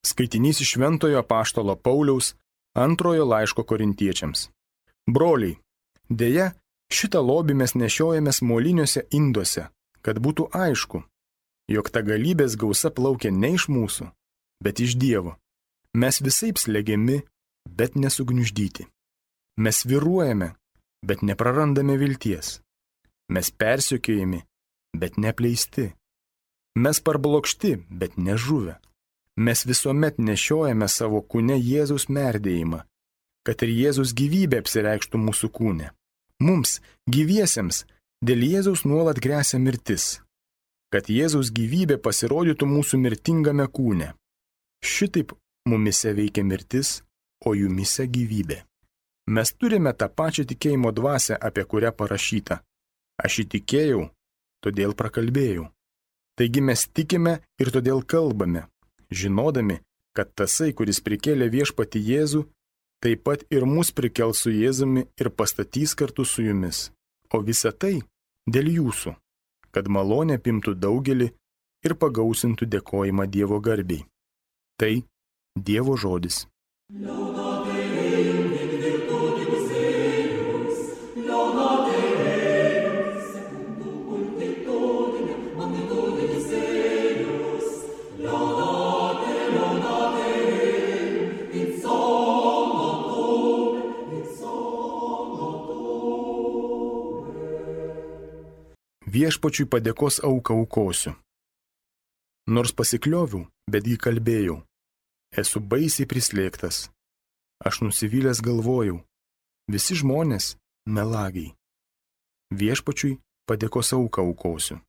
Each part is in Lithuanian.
Skaitinys iš Šventojo apaštalo Pauliaus antrojo laiško korintiečiams. Broliai, deja, šitą lobį mes nešiojamės moliniuose induose, kad būtų aišku, jog ta galybės gausa plaukia ne iš mūsų, bet iš Dievo. Mes visaip slegiami, bet nesugniuždyti. Mes svyruojame, bet neprarandame vilties. Mes persekiojami, bet neapleisti. Mes parblokšti, bet nežuvę. Mes visuomet nešiojame savo kūne Jėzaus merdėjimą, kad ir Jėzus gyvybė apsireikštų mūsų kūne. Mums, gyviesiems, dėl Jėzaus nuolat gresia mirtis, kad Jėzaus gyvybė pasirodytų mūsų mirtingame kūne. Šitaip mumise veikia mirtis, o jumise gyvybė. Mes turime tą pačią tikėjimo dvasią, apie kurią parašyta. Aš įtikėjau, todėl prakalbėjau. Taigi mes tikime ir todėl kalbame, žinodami, kad tasai, kuris prikėlė viešpatį Jėzų, taip pat ir mus prikels su Jėzumi ir pastatys kartu su jumis. O visa tai dėl jūsų, kad malonė apimtų daugelį ir pagausintų dėkojimą Dievo garbei. Tai Dievo žodis. Viešpačiui padėkos auką aukosiu. Nors pasiklioviau, betgi kalbėjau. Esu baisiai prislėgtas. Aš nusivylęs galvojau. Visi žmonės melagiai. Viešpačiui padėkos auką aukosiu.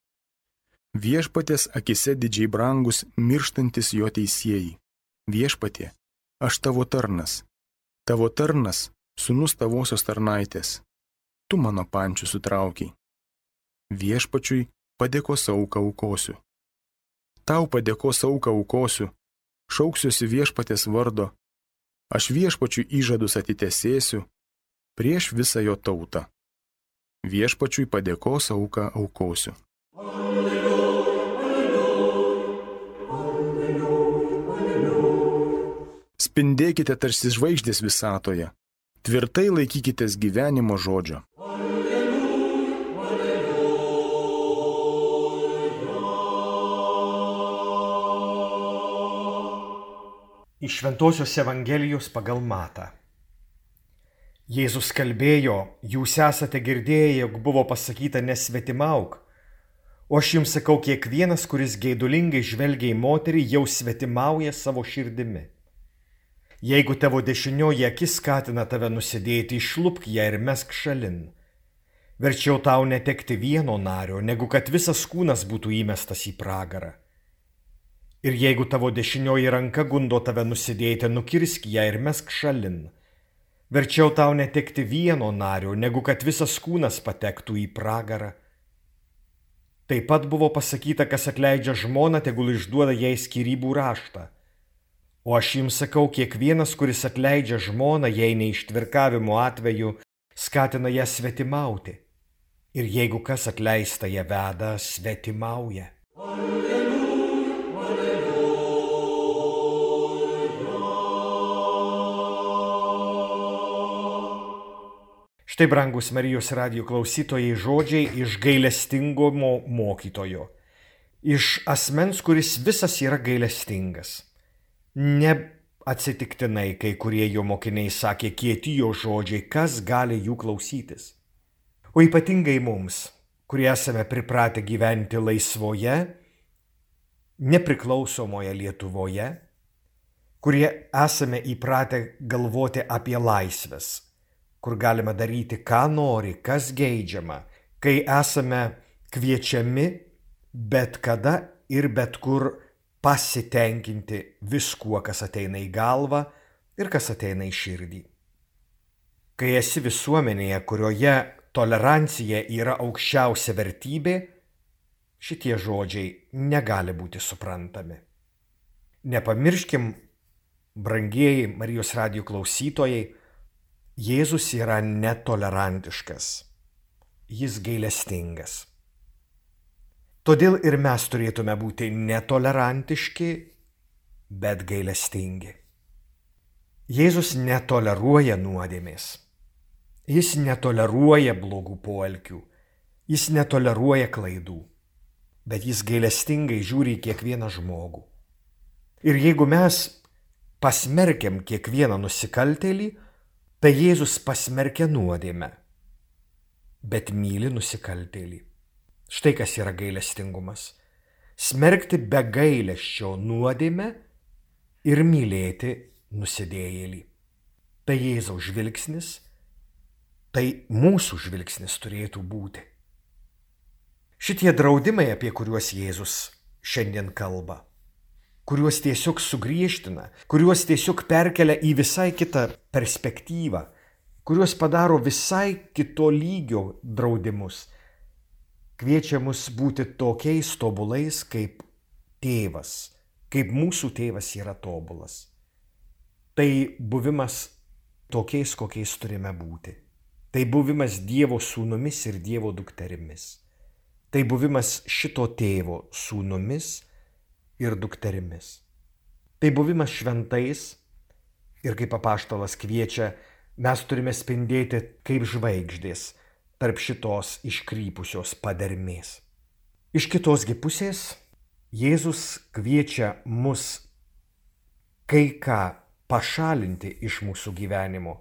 Viešpaties akise didžiai brangus mirštantis jo teisėjai. Viešpatie, aš tavo tarnas. Tavo tarnas, sūnus tavosios tarnaitės. Tu mano pančių sutraukiai. Viešpačiui padėkos auką aukosiu. Tau padėkos auką aukosiu, šauksiuosi viešpaties vardo, aš viešpačiui įžadus atitesėsiu prieš visą jo tautą. Viešpačiui padėkos auką aukosiu. Spindėkite tarsi žvaigždės visatoje, tvirtai laikykitės gyvenimo žodžio. Iš Šventosios Evangelijos pagal Matą. Jėzus kalbėjo, jūs esate girdėję, jog buvo pasakyta nesvetimauk, o aš jums sakau, kiekvienas, kuris geidulingai žvelgia į moterį, jau svetimauja savo širdimi. Jeigu tavo dešinioji akis skatina tave nusidėti, išlupk ją ir mesk šalin. Verčiau tau netekti vieno nario, negu kad visas kūnas būtų įmestas į pragarą. Ir jeigu tavo dešinioji ranka gundo tave nusidėti, nukirsk ją ir mesk šalin. Verčiau tau netekti vieno nario, negu kad visas kūnas patektų į pragarą. Taip pat buvo pasakyta, kas atleidžia žmoną, tegul išduoda jai skyrybų raštą. O aš jums sakau, kiekvienas, kuris atleidžia žmoną, jei neištvirkavimo atveju, skatina ją svetimauti. Ir jeigu kas atleista ją veda, svetimauja. Štai, brangus Marijos radijo klausytojai, žodžiai iš gailestingumo mokytojo. Iš asmens, kuris visas yra gailestingas. Ne atsitiktinai kai kurie jo mokiniai sakė kieti jo žodžiai, kas gali jų klausytis. O ypatingai mums, kurie esame pripratę gyventi laisvoje, nepriklausomoje Lietuvoje, kurie esame įpratę galvoti apie laisvės, kur galime daryti, ką nori, kas geidžiama, kai esame kviečiami bet kada ir bet kur pasitenkinti viskuo, kas ateina į galvą ir kas ateina į širdį. Kai esi visuomenėje, kurioje tolerancija yra aukščiausia vertybė, šitie žodžiai negali būti suprantami. Nepamirškim, brangieji Marijos radijo klausytojai, Jėzus yra netolerantiškas, jis gailestingas. Todėl ir mes turėtume būti netolerantiški bet gailestingi. Jėzus netoleruoja nuodėmės. Jis netoleruoja blogų poelgių. Jis netoleruoja klaidų. Bet jis gailestingai žiūri į kiekvieną žmogų. Ir jeigu mes pasmerkiam kiekvieną nusikaltėlį, tai Jėzus pasmerkia nuodėmę, bet myli nusikaltėlį. Štai kas yra gailestingumas. Smerkti be gailesčio nuodėmę ir mylėti nusidėjėlį. Tai Jėzaus žvilgsnis, tai mūsų žvilgsnis turėtų būti. Šitie draudimai, apie kuriuos Jėzus šiandien kalba, kuriuos tiesiog sugriežtina, kuriuos tiesiog perkelia į visai kitą perspektyvą, kuriuos padaro visai kito lygio draudimus, kviečia mus būti tokiais tobulais kaip tėvas, kaip mūsų tėvas yra tobulas. Tai buvimas tokiais, kokiais turime būti. Tai buvimas Dievo sūnumis ir Dievo dukterimis. Tai buvimas šito tėvo sūnumis ir dukterimis. Tai buvimas šventais ir kaip apaštalas kviečia, mes turime spindėti kaip žvaigždės tarp šitos iškrypusios padermės. Iš kitosgi pusės Jėzus kviečia mus kai ką pašalinti iš mūsų gyvenimo,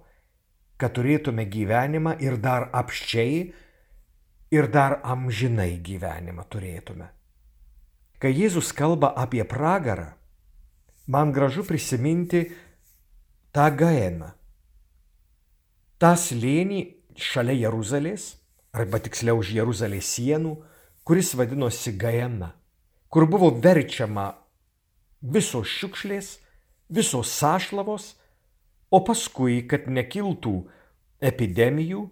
kad turėtume gyvenimą ir dar apsčiai, ir dar amžinai gyvenimą turėtume. Kai Jėzus kalba apie pragarą, man gražu prisiminti tą Gaeną. tą slėnį šalia Jeruzalės, arba tiksliau už Jeruzalės sienų, kuris vadinosi Gaena, kur buvo verčiama visos šiukšlės, visos sąšlavos, o paskui, kad nekiltų epidemijų,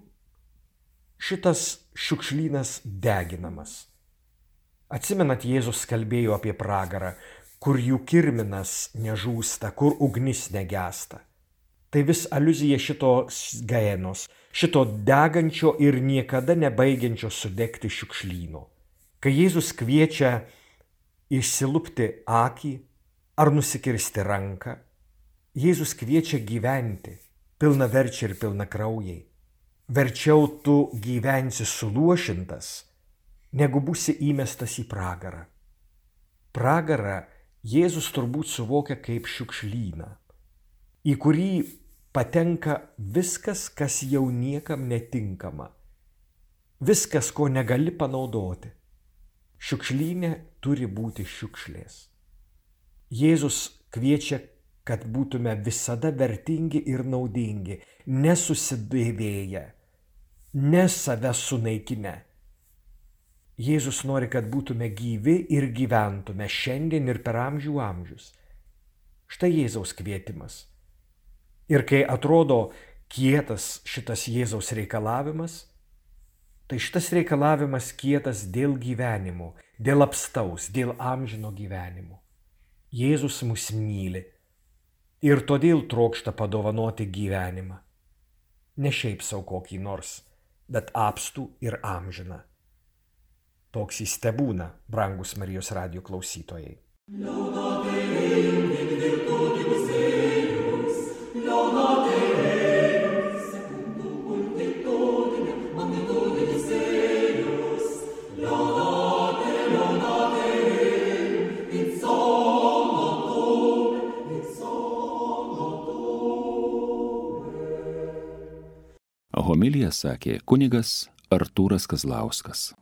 šitas šiukšlynas deginamas. Atsimenat, Jėzus kalbėjo apie pragarą, kur jų kirminas nežūsta, kur ugnis negesta. Tai vis aliuzija šitos Gaenos, šito degančio ir niekada nebaigiančio sudegti šiukšlyno. Kai Jėzus kviečia išsilupti akį ar nusikirsti ranką, Jėzus kviečia gyventi pilnaverčiai ir pilnakraujai. Verčiau tu gyvensi suluošintas, negu būsi įmestas į pragarą. Pragarą Jėzus turbūt suvokia kaip šiukšlyną, į kurį patenka viskas, kas jau niekam netinkama, viskas, ko negali panaudoti. Šiukšlyne turi būti šiukšlės. Jėzus kviečia, kad būtume visada vertingi ir naudingi, nesusidėvėję, ne save sunaikinę. Jėzus nori, kad būtume gyvi ir gyventume šiandien ir per amžių amžius. Štai Jėzaus kvietimas. Ir kai atrodo kietas šitas Jėzaus reikalavimas, tai šitas reikalavimas kietas dėl gyvenimo, dėl apstaus, dėl amžino gyvenimo. Jėzus mus myli ir todėl trokšta padovanoti gyvenimą. Ne šiaip sau kokį nors, bet apstų ir amžiną. Toks jis tebūna, brangus Marijos radijo klausytojai. Homiliją sakė kunigas Artūras Kazlauskas.